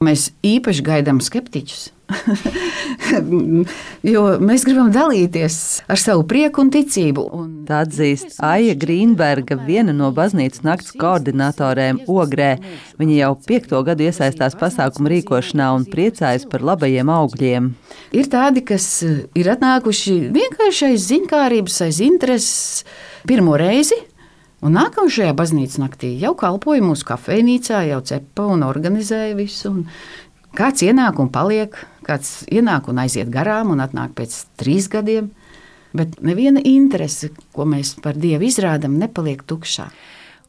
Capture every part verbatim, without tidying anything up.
Mēs īpaši gaidām skeptiķus, jo mēs gribam dalīties ar savu prieku un ticību. Un tā atzīst Aija Grīnberga, viena no baznīcas nakts koordinatorēm Ogrē. Viņa jau piekto gadu iesaistās pasākumu rīkošanā un priecājas par labajiem augļiem. Ir tādi, kas ir atnākuši vienkārši aiz ziņkārības, aiz intereses pirmo reizi. Un nākamajā baznīcas naktī jau kalpoja mūsu kafejnīcā, jau cepa un organizēja visu. Un kāds ienāk un paliek, kāds ienāk un aiziet garām un atnāk pēc trīs gadiem. Bet neviena interese, ko mēs par Dievu izrādam, nepaliek tukšā.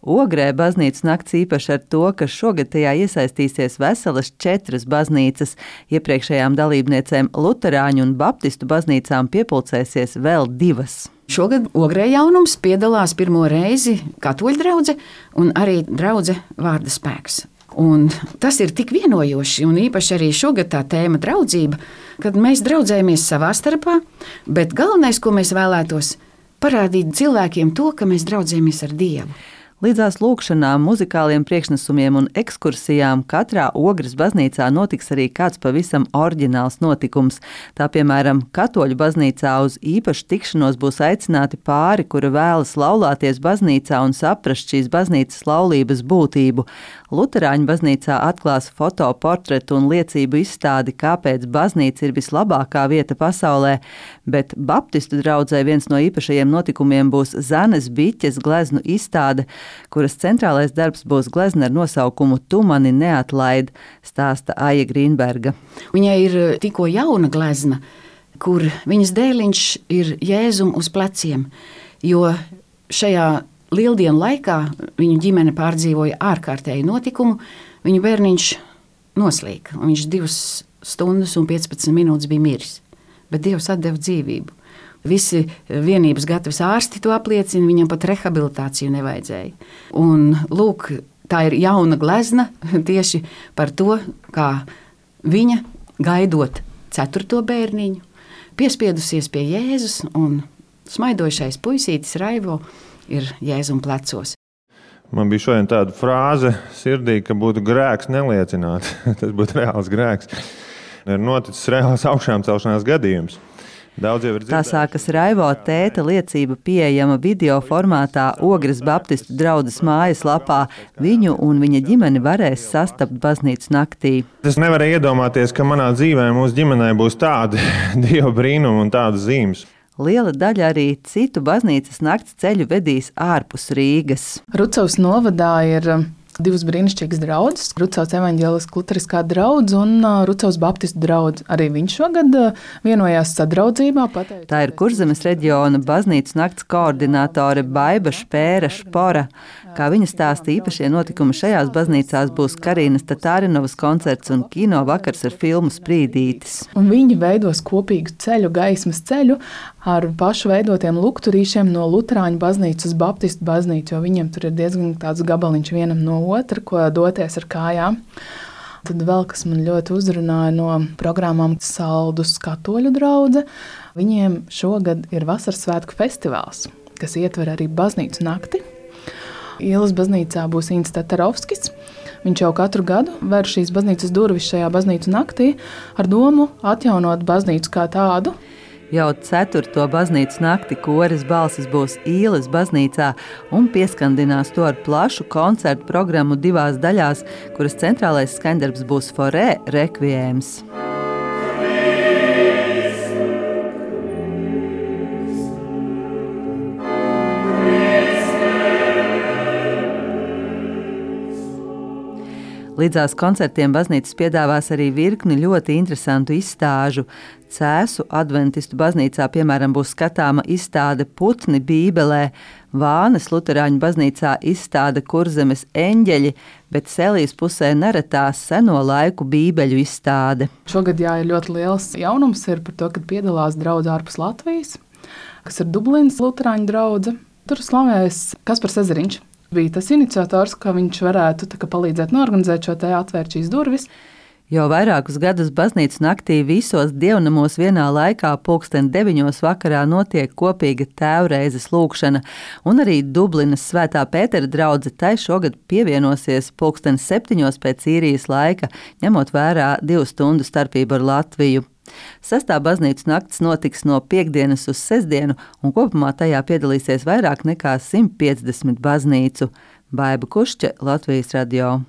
Ogrē baznīcas nakts īpaši ar to, ka šogad tajā iesaistīsies veselas četras baznīcas. Iepriekšējām dalībniecēm luterāņu un baptistu baznīcām piepulcēsies vēl divas. Šogad Ogrē jaunums piedalās pirmo reizi katoļu draudze un arī draudze Vārda spēks. Un tas ir tik vienojoši, un īpaši arī šogad tā tēma draudzība, kad mēs draudzējamies savā starpā, bet galvenais, ko mēs vēlētos, parādīt cilvēkiem to, ka mēs draudzējamies ar Dievu. Līdzās lūkšanām, muzikāliem priekšnesumiem un ekskursijām katrā Ogres baznīcā notiks arī kāds pavisam oriģināls notikums. Tā, piemēram, katoļu baznīcā uz īpašu tikšanos būs aicināti pāri, kura vēlas laulāties baznīcā un saprast šīs baznīcas laulības būtību. Luterāņu baznīcā atklās fotoportretu un liecību izstādi, kāpēc baznīca ir vislabākā vieta pasaulē, bet baptistu draudzē viens no īpašajiem notikumiem būs Zanes Biķes gleznu izstāde, kuras centrālais darbs būs glezna ar nosaukumu Tu mani neatlaid, stāsta Aija Grīnberga. Viņai ir tikko jauna glezna, kur viņas dēliņš ir Jēzum uz pleciem, jo šajā lieldienu laikā viņu ģimene pārdzīvoja ārkārtēju notikumu, viņu bērniņš noslīka, un viņš divas stundas un piecpadsmit minūtes bija miris, bet Dievs atdeva dzīvību. Visi vienības gatavs ārsti to apliecina, viņam pat rehabilitāciju nevajadzēja. Un lūk, tā ir jauna glezna tieši par to, kā viņa, gaidot ceturto bērniņu, piespiedusies pie Jēzus, un smaidošais puisītis Raivo ir Jēzum plecos. Man bija šodien tāda frāze sirdī, ka būtu grēks neliecināt. Tas būtu reāls grēks. Ir noticis reāls augšām celšanās gadījums. Tā sākas Raivo tēta liecība pieejama video formātā Ogres baptistu draudzes mājas lapā. Viņu un viņa ģimeni varēs sastapt baznīcas naktī. Es nevarēju iedomāties, ka manā dzīvē mūsu ģimenē būs tādi Dieva brīnumi un tādas zīmes. Liela daļa arī citu baznīcas nakts ceļu vedīs ārpus Rīgas. Rucavas novadā ir divas brīnišķīgas draudzes, Rucavas evaņģēliskā luteriskā draudze un Rucavas baptistu draudze. Arī viņš šogad vienojās sadraudzībā. Pateic... Tā ir Kurzemes reģiona baznīcas nakts koordinātore Baiba Špēra Špora. Kā viņa stāsta, īpašie notikumi šajās baznīcās būs Karīnas Tatārinovas koncerts un kino vakars ar filmu Sprīdītis. Un viņi veidos kopīgu ceļu, gaismas ceļu ar pašu veidotiem lukturīšiem no luterāņu baznīcas uz baptistu baznīcu, jo viņiem tur ir diezgan tāds gabaliņš vienam no otra, ko doties ar kājām. Tad vēl, kas man ļoti uzrunāja no programmām Saldus katoļu draudze, viņiem šogad ir vasaras svētku festivāls, kas ietver arī baznīcu nakti. Ielas baznīcā būs Ints Tatarovskis. Viņš jau katru gadu ver šīs baznīcas durvis šajā baznīcu naktī ar domu atjaunot baznīcu kā tādu. Jau ceturto baznīcas nakti koris balsis būs Īles baznīcā un pieskandinās to ar plašu koncertu programmu divās daļās, kuras centrālais skaņdarbs būs Forē rekviēms. Līdzās koncertiem baznīcas piedāvās arī virkni ļoti interesantu izstāžu. Cēsu adventistu baznīcā, piemēram, būs skatāma izstāde Putni Bībelē, Vānes luterāņu baznīcā izstāde Kurzemes eņģeļi, bet Selijas pusē neretās seno laiku bībeļu izstāde. Šogad jā, ir ļoti liels jaunums ir par to, kad piedalās draudze ārpus Latvijas, kas ir Dublinas luterāņu draudze. Tur slavēs Kaspars Ezeriņš. Bija tas iniciators, ka viņš varētu tā, palīdzēt norganizēt šo te atvērt šīs durvis. Jau vairākus gadus baznīcas naktī visos dievnamos vienā laikā pulksten deviņos vakarā notiek kopīga tēvreizes lūkšana, un arī Dublinas Svētā Pētera draudze tai šogad pievienosies pulksten septiņos pēc īrijas laika, ņemot vērā divu stundu starpību ar Latviju. Sestā baznīcas nakts notiks no piektdienas uz sestdienu, un kopumā tajā piedalīsies vairāk nekā simt piecdesmit baznīcu. Baiba Kušķe, Latvijas radio.